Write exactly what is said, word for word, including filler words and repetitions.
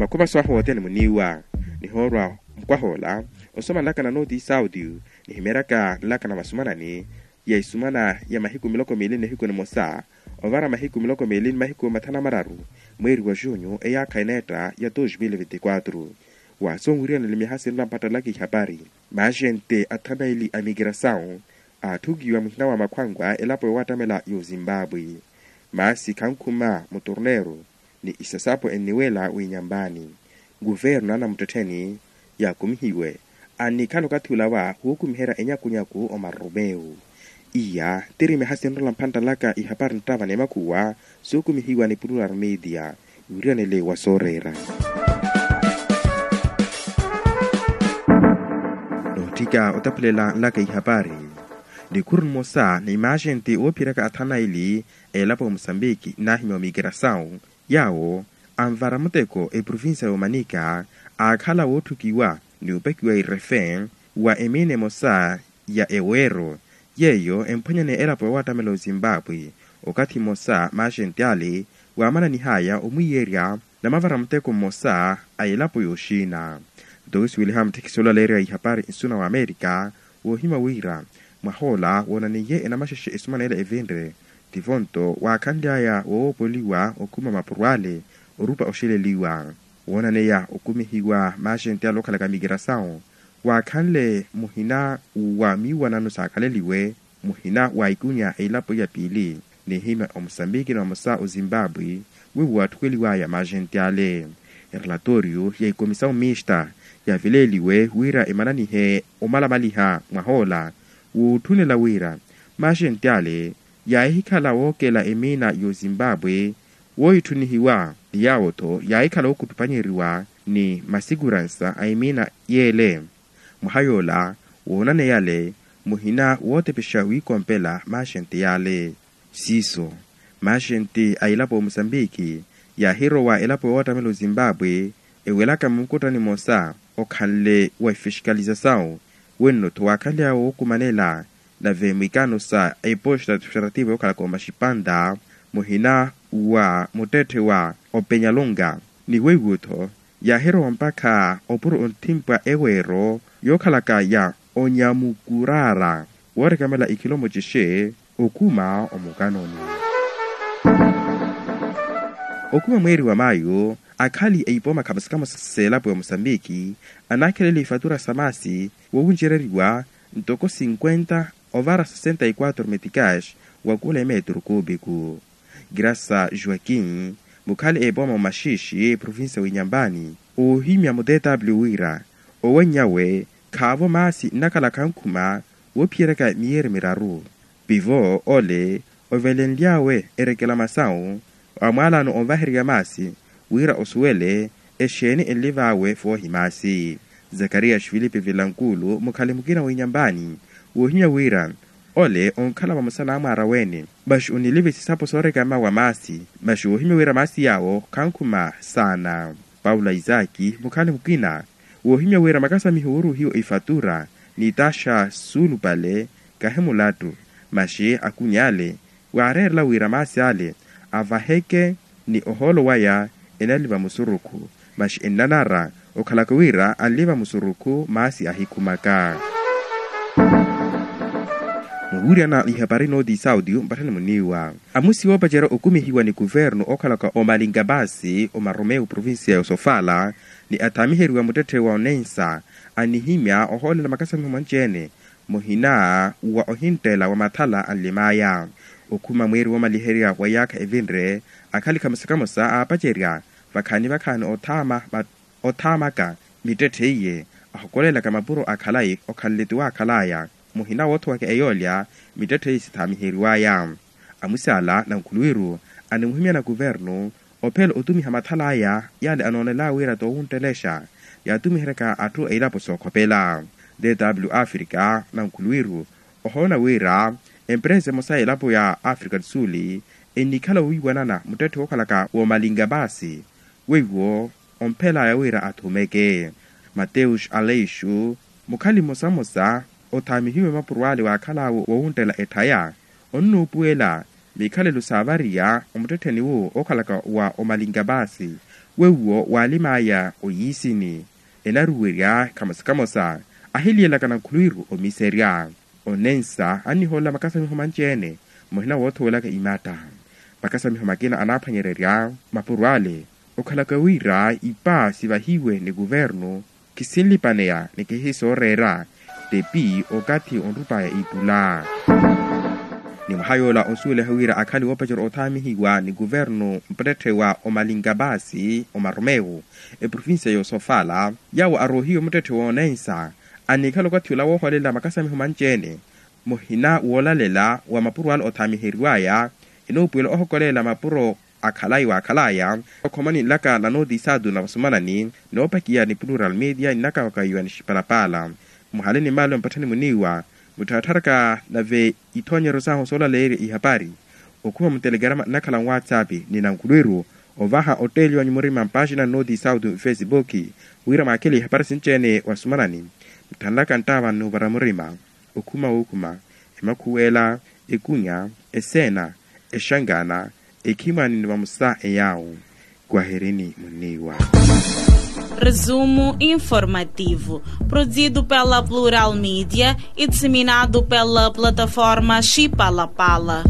Makhumaso ahu othene muniiwa nihoorwa mukwahoola osoma nlaka na nooti saudi nihimeeryaka nlaka na masumanani ya isumana ya mahiku miloko miili ni nihiku nimosa ovara mahiku miloko miili ni mahiku mathanu amararu mweeri wa junyu eyaakha eneetta ya dos mil vinti quatro. Waasonwiryanile mihasinlo ampattalaka ihapari maaxente athanaili a migrasawu aatthukiwa muhina wa makhwanwa elapo yoowattamela y'ozimbabwe. Maasi khankhuma muturneeru ni isasapo enniweela w'inyampaani. Kuvernu anamuttettheni yaakumihiwe annikhala okathi olawa wookumiherya enyakunyaku omarumewu. Iya tiri mihasinlo ampattalaka ihapari nttava ni makhuwa sookumihiwa ni plural media. Wiriyanele wa sooreera nootthika otaphulela nlaka ihapari. Nikhuru nimosa ni maaxenti oophiyeryaka athanaili a elapo ya musambiki naahimya omigrasawu yaawo anvara muteko eprovincia y'omanika aakhala wootthukiwa ni opakiwa irefe wa emiina emosa ya eweero yeeyo emphwanyane elapo yoowattamela ozimbabwe. Okathi mmosa maaxenti ale waamananihaya omwiiyerya namavara muteko mmosa a elapo y'oxiina. Nto wisuweliha mutthekisi olaleerya ihapari nsuna wa amerika woohimya wira mwahoola woonaniye enamaxexe esumanela evinre tivo nto waakhanly'aya woowoopoliwa okhuma mapuro ale orupa oxeleliwa woonaneya okumihiwa maaxenti ale okhalaka migrasawu waakhanle muhina wa miiwanano saakhaleliwe muhina wa ikunya elapo ya piili nihimya omusambiki ni vamosa ozimbabwe weiwo waatthukweliwaya maaxenti ale. Erelatoriyo ya ikomisawu mista yaaveleeliwe wira emananihe omalamaliha mwahoola wootthunela wira maaxenti ale yaahikhala wookela emiina y'ozimbabwe woohitthunihiwa ni yaawo-tho yaahikhala wookuttupanyeeriwa ni masikuransa a emiina yeele. Mwaha yoola woonaneyale muhina wootepexa wiikompela maaxenti yaale. Siiso maaxenti a elapo ya musambiki yaahirowa elapo yoowattamela ozimbabwe ewelaka munkutani mmosa okhanle wa ifixikalizasawu wenno-tho waakhanly'awe wookumanela nave mwikaano sa eposta administrativa yookhalaka omaxipanta muhina wa muttetthe wa openyalunga ni weiwo-tho yaahirowa mpakha opuro onthimpwa eweero yookhalaka ya onyamukuraara woorekamela ikhilomo cixe okhuma omukanoni. Okhuma mweeri wa mayu akhali a ipooma khamosa khamosa s'elapo ya musambiki anaakhelela ifatura sa maasi woowuncereriwa ntoko cinquenta ovara sessenta y quatro meticas wa kula emetru kuupiku. Grasa joaquim mukhali epooma omaxiixi provincia w'inyampani oohimya mu tw wira owanny'awe khaavo maasi nnakhala khankhuma woophiyeryaka miyeeri miraru. Pivo ole ovelenly'awe erekela masawu amwaalano onvahererya maasi wira osuwele exeeni enliv'awe foohi maasi. Zakarias filipe vilankulu mukhali mukina w'inyampani woohimya wira ole onkhala vamosa n'amwaara weene masi oniliva isisapo soorekama wa maasi masi woohimya wira maasi yaawo khankhuma saana. Paulo isaki mukhali mukina woohimya wira makasamiho wooruhiwa ifatura ni taxa suulupale kahi mulattu masi akuny'ale waareerela wira maasi ale avaheke ni ohoolo waya enaliva musurukhu masi ennanara okhalaka wira anliva musurukhu maasi ahikhumaka. Muwuuryana ihapari nooti saudi mpatthani muniiwa amusi woopacerya okumihiwa ni kuvernu okhalaka omalinga maasi omarumewu provincia ya osofala ni athaamiheriwa muttetthe wa onensa anihimya ohoolela makasamiho manci-ene muhina wa ohinttela wa mathala anlim'aya. Okhuma mweeri woomaliherya wa yaakha evinre akhali khamosa khamosa aapacerya vakhaani vakhaani othaama othaamaka mittetthe iye ahokolelaka mapuro a khalayi okhanle ti waakhal'aya muhina woothowaka eyoolya mittetthe iye sithaamiheriw'aya. Amusi ala nankhuluwiru animuhimyana kuvernu ophela otumiha mathala aya yale anoonel'aya wira toowunttelexa yaatumiheryaka atthu a ilapo sookhopela. Tw africa nankhuluwiru ohoona wira empresa emosa ya elapo ya africa tsuli ennikhala wiiwanana muttetthe wookhalaka woomalinga maasi weiwo omphel'aya wira athumeke. Mateus aleixo mukhali mmosamosa othaamihiwe mapuro ale waakhal'awe woowunttela etthaya onnuupuwela mikhalelo saavariya omuttettheni wuwo ookhalaka wa omalinga maasi Wewuwo waalim'aya oyiisini enaruwerya khamosa khamosa ahiliyelaka nankhulwiru omiiserya. Onensa annihoolela makasamiho manci-ene muhina woothowelaka imatta. Makasamiho makina anaaphwanyererya mapuro ale okhalaka wira ipa sivahiwe ni kuvernu khisinlipaneya ni khihisooreera tepi okathi onrup'aya ittula. Ni mwaha yoola onsuweliha wira akhali woopacerya othaamihiwa ni kuvernu mpattetthe wa omalinga baasi omaromewu eprovincia y'osofala yaawo aroohiwe muttetthe w'onensa anikhala okathi ola wooholela makasamiho manci-ene muhina woolalela wa mapuro ale othaamiheriw'aya enoopuwela ohokolela mapuro akhalai waakhalaya okhomani nlaka na notisatu na vasumanani noopakiya ni plural media ni nakawakayiwa ni xipalapala muhale ni maale mpatthani muniiwa muttharatharaka nave ithoonyeryo sahu soolaleerya ihapari okhuma mutelegrama nnakhala nwatsapi ni nankhulwiru ovaha otteeliwa nyumurima mpaaxina nnooti sauti mfesibuki wira mwaakhele ihapari sinci-ene wasumanani muthanlaka nttaava nnuuvara murima okhuma wookhuma emakhuwela ekunya eseena exangana ekhimwani ni vamosa eyaawu kwaherini munniiwa. Resumo informativo, produzido pela Plural Media e disseminado pela plataforma Chipalapala.